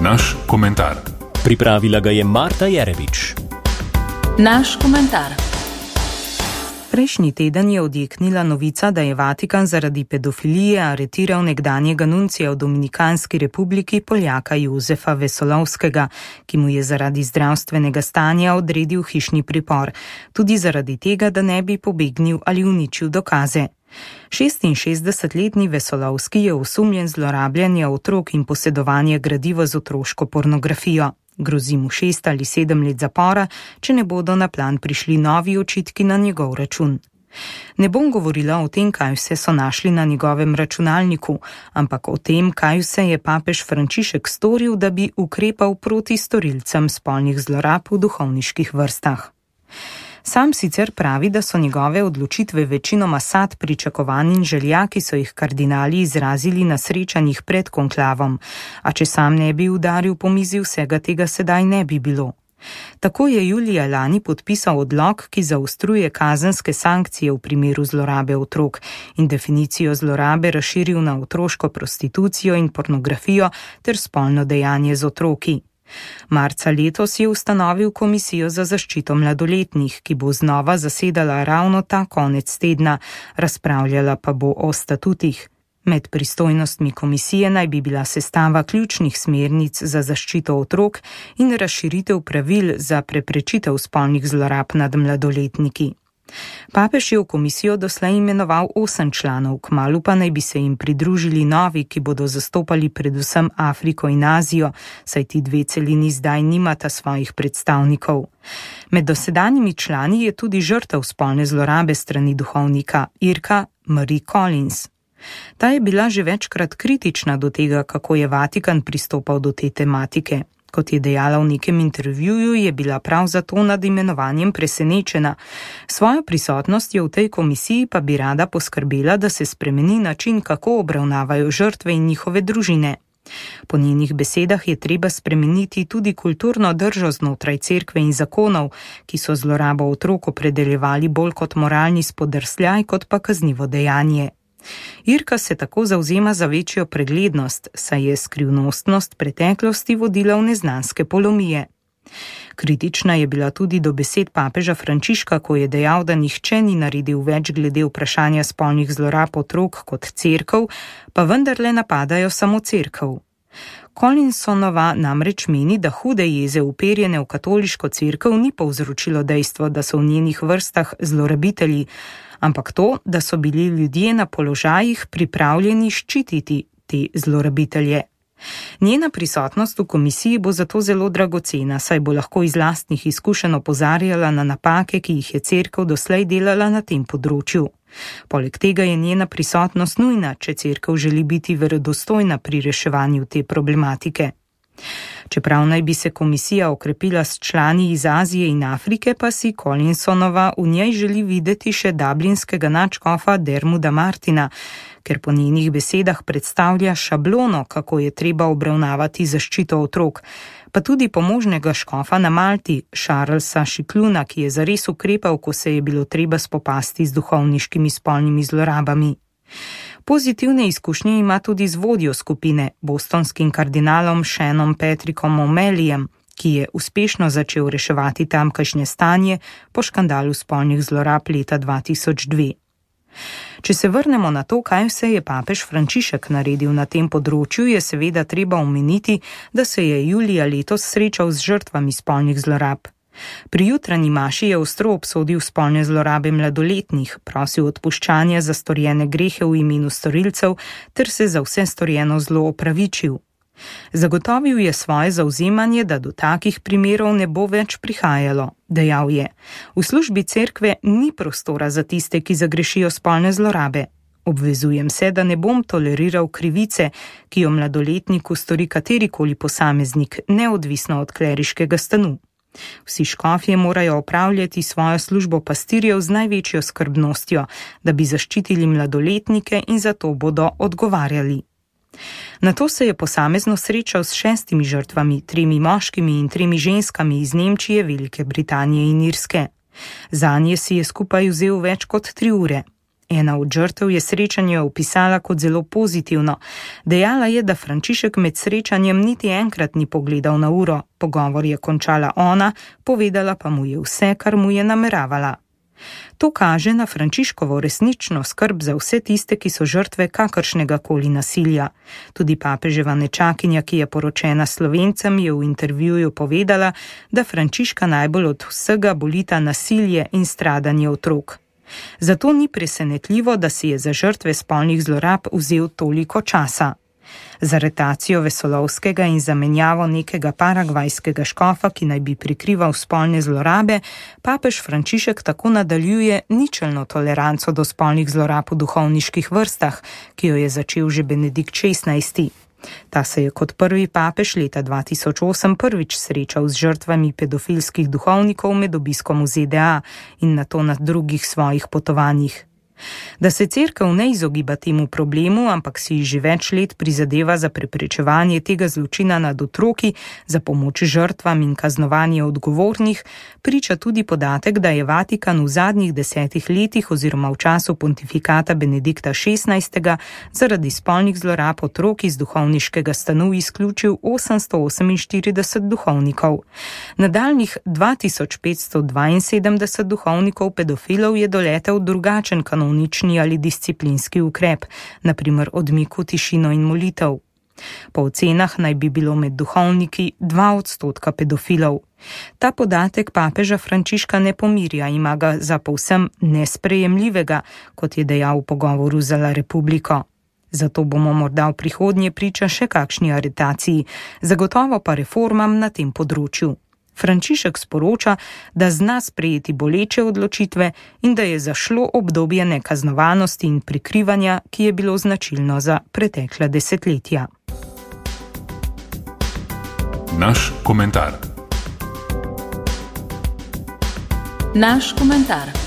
naš komentar. Pripravila ga je Marta Jerevič. Naš komentar. Prejšnji teden je odjeknila novica, da je Vatikan zaradi pedofilije aretiral nekdanjega nuncija v Dominikanski republiki Poljaka Jozefa Vesolovskega, ki mu je zaradi zdravstvenega stanja odredil hišni pripor, tudi zaradi tega, da ne bi pobegnil ali uničil dokaze. 66-letni Vesolovski je osumljen zlorabljanja otrok in posedovanja gradiva z otroško pornografijo. Grozi mu 6 ali 7 let zapora, če ne bodo na plan prišli novi očitki na njegov račun. Ne bom govorila o tem, kaj vse so našli na njegovem računalniku, ampak o tem, kaj vse je papež Frančišek storil, da bi ukrepal proti storilcem spolnih zlorab v duhovniških vrstah. Sam sicer pravi, da so njegove odločitve večinoma sad pričakovanj in želja, ki so jih kardinali izrazili na srečanjih pred konklavom, a če sam ne bi udaril po mizi, vsega tega sedaj ne bi bilo. Tako je julija lani podpisal odlok, ki zaostruje kazenske sankcije v primeru zlorabe otrok in definicijo zlorabe razširil na otroško prostitucijo in pornografijo ter spolno dejanje z otroki. Marca letos je ustanovil komisijo za zaščito mladoletnih, ki bo znova zasedala ravno ta konec tedna, razpravljala pa bo o statutih. Med pristojnostmi komisije naj bi bila sestava ključnih smernic za zaščito otrok in razširitev pravil za preprečitev spolnih zlorab nad mladoletniki. Papež je v komisijo doslej imenoval 8 članov, kmalu pa naj bi se jim pridružili novi, ki bodo zastopali predvsem Afriko in Azijo, saj ti dve celini zdaj nimata svojih predstavnikov. Med dosedanjimi člani je tudi žrtev spolne zlorabe strani duhovnika Irka Marie Collins. Ta je bila že večkrat kritična do tega, kako je Vatikan pristopal do te tematike. Kot je dejala v nekem intervjuju, je bila prav zato nad imenovanjem presenečena. Svojo prisotnostjo v tej komisiji pa bi rada poskrbela, da se spremeni način, kako obravnavajo žrtve in njihove družine. Po njenih besedah je treba spremeniti tudi kulturno držo znotraj cerkve in zakonov, ki so zlorabo otrok opredeljevali bolj kot moralni spodrsljaj, kot pa kaznivo dejanje. Irka se tako zavzema za večjo preglednost, saj je skrivnostnost preteklosti vodila v neznanske polomije. Kritična je bila tudi do besed papeža Frančiška, ko je dejal, da nihče ni naredil več glede vprašanja spolnih zlorab otrok kot cerkev, pa vendarle napadajo samo cerkev. Collinsonova namreč meni, da hude jeze uperjene v katoliško cerkev ni povzročilo dejstvo, da so v njenih vrstah zlorabitelji, ampak to, da so bili ljudje na položajih pripravljeni ščititi te zlorabitelje. Njena prisotnost v komisiji bo zato zelo dragocena, saj bo lahko iz lastnih izkušenj opozarjala na napake, ki jih je cerkev doslej delala na tem področju. Poleg tega je njena prisotnost nujna, če cerkev želi biti verodostojna pri reševanju te problematike. Čeprav naj bi se komisija okrepila s člani iz Azije in Afrike, pa si Collinsonova v njej želi videti še dublinskega nadškofa Dermuda Martina, ker po njenih besedah predstavlja šablono, kako je treba obravnavati zaščito otrok, pa tudi pomožnega škofa na Malti, Charlesa Šikluna, ki je zares ukrepal, ko se je bilo treba spopasti z duhovniškimi spolnimi zlorabami. Pozitivne izkušnje ima tudi z vodjo skupine, bostonskim kardinalom Seanom Patrickom O'Malleyjem, ki je uspešno začel reševati tamkajšnje stanje po škandalu spolnih zlorab leta 2002. Če se vrnemo na to, kaj vse je papež Frančišek naredil na tem področju, je seveda treba omeniti, da se je julija letos srečal z žrtvami spolnih zlorab. Pri jutranji maši je ostro obsodil spolne zlorabe mladoletnih, prosil odpuščanja za storjene grehe v imenu storilcev ter se za vse storjeno zlo opravičil. Zagotovil je svoje zavzemanje, da do takih primerov ne bo več prihajalo. Dejal je: v službi cerkve ni prostora za tiste, ki zagrešijo spolne zlorabe. Obvezujem se, da ne bom toleriral krivice, ki jo mladoletniku stori katerikoli posameznik, neodvisno od kleriškega stanu. Vsi škofje morajo opravljati svojo službo pastirjev z največjo skrbnostjo, da bi zaščitili mladoletnike in za to bodo odgovarjali. Nato se je posamezno srečal s 6 žrtvami, 3 moškimi in 3 ženskami iz Nemčije, Velike Britanije in Irske. Zanje si je skupaj vzel več kot 3 ure. Ena od žrtev je srečanje opisala kot zelo pozitivno. Dejala je, da Frančišek med srečanjem niti enkrat ni pogledal na uro. Pogovor je končala ona, povedala pa mu je vse, kar mu je nameravala. To kaže na Frančiškovo resnično skrb za vse tiste, ki so žrtve kakršnega koli nasilja. Tudi papeževa nečakinja, ki je poročena Slovencem, je v intervjuju povedala, da Frančiška najbolj od vsega bolita nasilje in stradanje otrok. Zato ni presenetljivo, da si je za žrtve spolnih zlorab vzel toliko časa. Z aretacijo Vesolovskega in zamenjavo nekega paragvajskega škofa, ki naj bi prikrival spolne zlorabe, papež Frančišek tako nadaljuje ničelno toleranco do spolnih zlorab v duhovniških vrstah, ki jo je začel že Benedikt XVI. Ta se je kot prvi papež leta 2008 prvič srečal z žrtvami pedofilskih duhovnikov med obiskom v ZDA in nato na drugih svojih potovanjih. Da se cerkev ne izogiba temu problemu, ampak si že več let prizadeva za preprečevanje tega zločina nad otroki, za pomoč žrtvam in kaznovanje odgovornih, priča tudi podatek, da je Vatikan v zadnjih 10 letih oziroma v času pontifikata Benedikta XVI zaradi spolnih zlorab otrok iz duhovniškega stanu izključil 848 duhovnikov. Nadaljnjih 2572 duhovnikov pedofilov je doletel drugačen kanonični ali disciplinski ukrep, na primer odmik v tišino in molitev. Po ocenah naj bi bilo med duhovniki 2% pedofilov. Ta podatek papeža Frančiška ne pomirja, ima ga za povsem nesprejemljivega, kot je dejal v pogovoru za La Republiko. Zato bomo morda v prihodnje priča še kakšni aretaciji, zagotovo pa reformam na tem področju. Frančišek sporoča, da zna sprejeti boleče odločitve in da je zašlo obdobje nekaznovanosti in prikrivanja, ki je bilo značilno za pretekla desetletja. Naš komentar. Naš komentar.